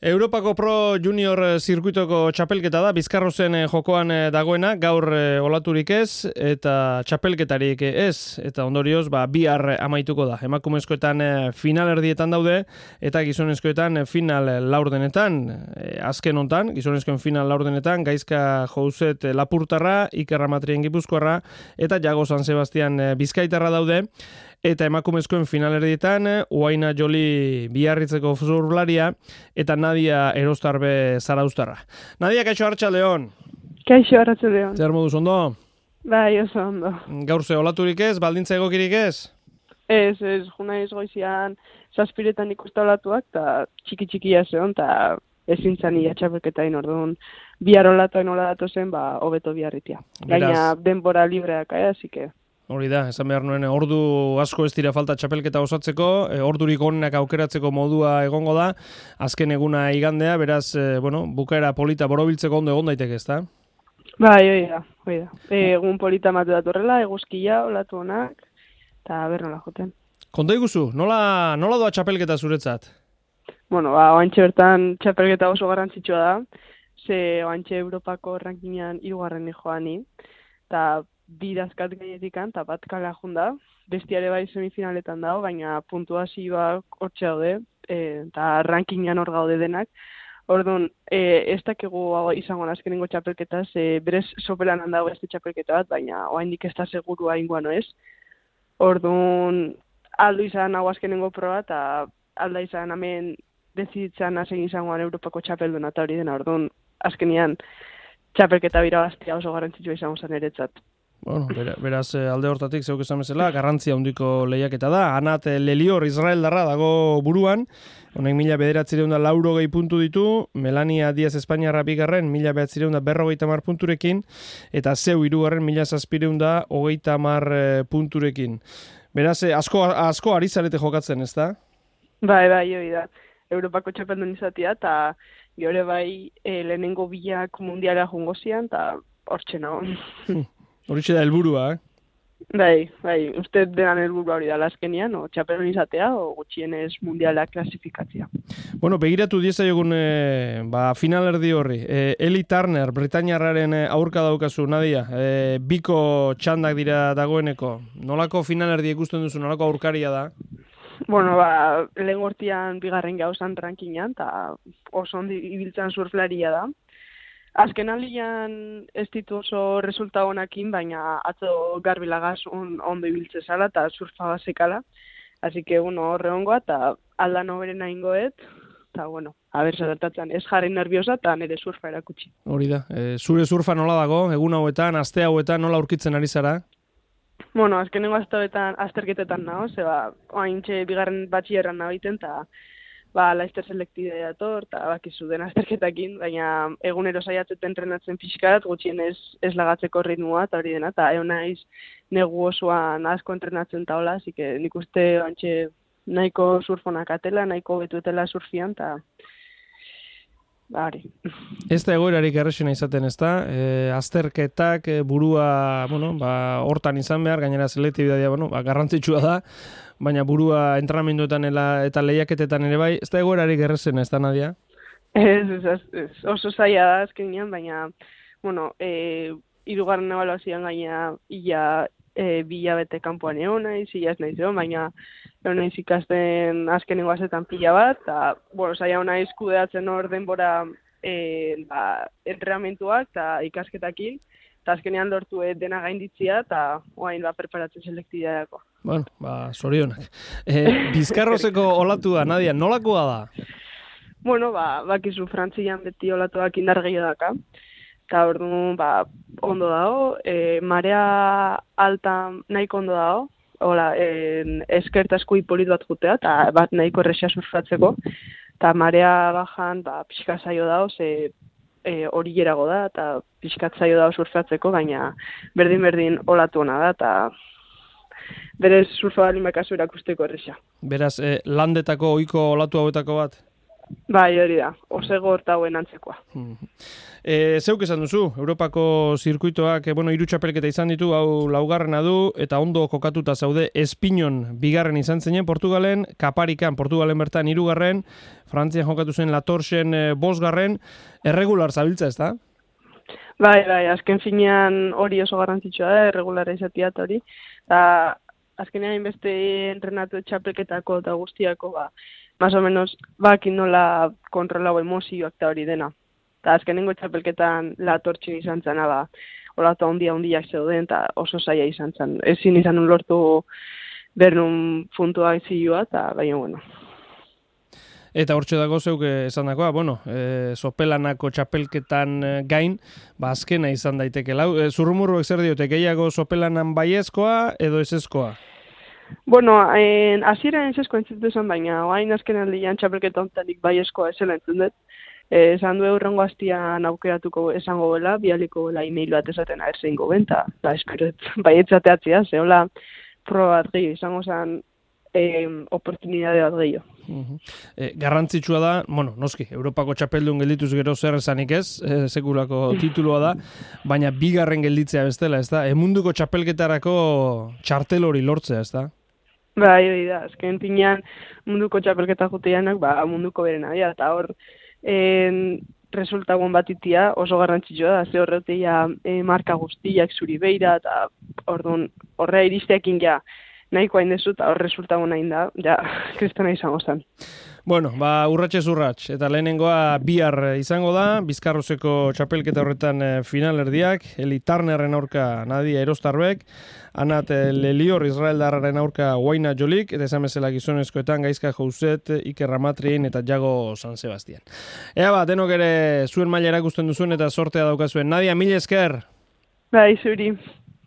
Europako Pro Junior zirkuitoko txapelketa da, Bizkarrozen jokoan dagoena, gaur olaturik ez, eta txapelketarik ez, eta ondorioz, bihar amaituko da. Emakumezkoetan final erdietan daude, eta gizonezkoetan final laurdenetan, azken hontan, gizonezkoen final laurdenetan, Gaizka Jouzet Lapurtarra, Iker Ramatrien Gipuzkoarra, eta Jago San Sebastian Bizkaitarra daude, eta emakumezkoen finalerdietan Uaina Joli Biarritzeko zurlaria eta Nadia Erostarbe Zarauztarra. Nadia, kaixo arratsaldeon. Kaixo arratsaldeon. Zer moduz ondo? Bai, oso ondo. Gaur ze olaturik ez, baldintza egokirik ez? Ez, junaiz goizian zazpiretan ikusta olatuak, eta txiki-txikia zeon, eta ezin zan ia txapelketain orduan bihar olatuain ola datozen, hobeto biarritia. Gaina denbora libreak, hasi que... Hori da, esan behar nuen, ordu asko ez dira falta txapelketa osatzeko, ordurik onenak aukeratzeko modua egongo da, azken eguna igandea, beraz, bukaera polita borobiltzeko ondo egon daiteke, ezta? Bai, hori da. Egun polita matu datorrela, eguzkia, olatu honak, eta bernola joten. Konta iguzu, nola doa txapelketa zuretzat? Oantxe bertan txapelketa oso garrantzitsua da, ze oantxe Europako rankingan 3. joani, eta bidazkat gainetikan, eta bat kalea junda, bestiare bai semifinaletan dago, baina puntuazioak hortxe daude, eta rankingan hor gaude denak. Orduan, ez dakigu izango azkenengo txapelketaz, berez sopelan handago beste txapelketa bat, baina oraindik ez da segurua ingoan, ez? Orduan, aldu izan hau azkenengo proba, eta alda izan hemen deziditzen hasen izangoan Europako txapelduna eta hori dena, orduan, azkenian txapelketa birabaztia oso garrantzitsua izango zen eretzat. Beraz alde hortatik zeuk esan bezala, garrantzia handiko lehiaketa da. Anat Lelior Israeldarra dago buruan, honek 1940 puntu ditu, Melania Diaz Espainiarra bigarren 1940 punturekin, eta zeu hirugarren 1730 punturekin. Beraz, asko ari zarete jokatzen, ez da? Bai, hori da. Europako txapeldun izatea, eta gure bai lehenengo bilak mundiala jungo zian, eta hortxe nago. Horitxe da helburua, Bai, uste denan helburua hori da azkenian, o txapeldun izatea, o gutxienez mundiala klasifikatzea. Begiratu diezaiogun final erdi horri. Eli Turner, Britainiarraren aurka daukazu, Nadia, biko txandak dira dagoeneko. Nolako final erdi ikusten duzu, nolako aurkaria da? Lehen gortian bigarren gauzan rankingan, eta oso ondo ibiltzen surflaria da. Azken alian ez ditu oso resulta honakin, baina atzo garbilagaz ondo ibiltze zala eta surfa bazekala. Así que, horre ongoa eta aldan oberena ingoet, eta, haber zertatzen ez jarri nerviosa eta nire surfa erakutsi. Hori da, zure surfa nola dago, egun hauetan, aste hauetan nola aurkitzen ari zara? Azkenengo aste hauetan azterketetan nago, oaintxe bigarren batxierran nabiten, eta laizter selektidea dator, eta bakizu den azterketakin, baina egunero saiatzeten entrenatzen pixkat, gutxien ez lagatzeko ritmoa, eta hori dena, eta egon naiz negu osoan asko entrenatzen taola, así que nik uste antxe nahiko surfonak atela, nahiko betuetela surfian, eta hori. Ez da egoerarik errexena izaten, ez da? Azterketak, burua, hortan izan behar, gainera selektibitatea, garrantzitsua da, baina burua entrenamenduetan eta lehiaketetan ere bai, ez da egoerarik errexena, ez da, Nadia? Ez, oso zaila da azkenean, baina, hirugarren ebaluazioan gaina ia bilabete kanpoan egon naiz, ia ez naiz egon, baina egon naiz ikasten azkenengo azetan pila bat, eta, zaila naiz kudeatzen hor denbora entrenamentuak eta ikasketakin, eta azkenean lortu dena gainditzia, eta oain preparatzen selektideako. Zorionak. Bizkarrozeko olatua, Nadia, nolakoa da? Bakizu Frantzian beti olatuak indar gehiago daka. Eta orduan, ondo dago, marea alta nahiko ondo dago, eskertazko hipolit bat jutea, eta bat nahiko errexea surfatzeko, eta marea bajan, pixka zaio dago, ze hori gerago da, eta pixkat zaio dago surfatzeko, baina berdin olatu hona da, eta berez surfa balin bakazu erakusteko errexea. Beraz, landetako ohiko olatu hauetako bat? Bai, hori da, osego hortauen antzekoa. Zeuk esan duzu, Europako zirkuitoak, hiru txapelketa izan ditu, hau laugarrena du, eta ondo kokatuta zaude Espinon bigarren izan zinen Portugalen, Kaparikan Portugalen bertan hirugarren, Frantzian jokatu zen Latorxen bosgarren, erregular zabiltza, ez da? Bai, azken finean hori oso garrantzitsua da, erregulara izatea eta hori. Azkenean beste entrenatu txapelketako eta guztiako, más o menos, bakin nola kontrolau emozioak eta hori dena. Eta azkenengo txapelketan Latortxin izan zen, olatu handiak zeuden, eta oso zaila izan zen. Ezin izan lortu bernun puntua zilua, eta baina, bueno. Eta hortxe dago zeuk esan dagoa, sopelanako txapelketan gain, azkena izan daiteke. Zurrumurruek zer diote, gehiago sopelanan baiezkoa edo ezezkoa? Hasieran ezezkoa entzutu esan, baina hain azken aldean txapelketa ontanik baiezkoa esela entzun dut. Esan du eurrengo hastian aukeratuko esango bela, bialiko bela e-mail bat esaten aherzein goben, eta esperot baietzateatzea, zehola proba bat gehiago, izango zen oportunidade bat gehiago. Garrantzitsua da, noski, Europako txapeldun geldituz gero zer esanik ez, sekulako titulua da, baina bigarren gelditzea bestela, ez da? Munduko txapelketarako txartel hori lortzea, ez da? Bai, hori da, azken pinean munduko txapelketa juteanak, munduko berena, eta hor, resultagoen bat itia oso garrantzitsua da, ze horretia marka guztiak zuri beira, eta horrea iristeekin nahikoa indezu, eta hor resultago nahi da, kristona izango zen. Urratxez urratx, eta lehenengoa bihar izango da, Bizkarrozeko txapelketa horretan finalerdiak, Eli Turnerren aurka Nadia Erostarbek, Anat Lelior Israeldarraren aurka Waina Jolik, eta esan bezala gizonezkoetan Gaizka Jouzet, Iker Ramatrien eta Jago San Sebastian. Denok ere zuen maila erakusten duzuen eta sortea daukazuen. Nadia, mil esker! Bai, zuri.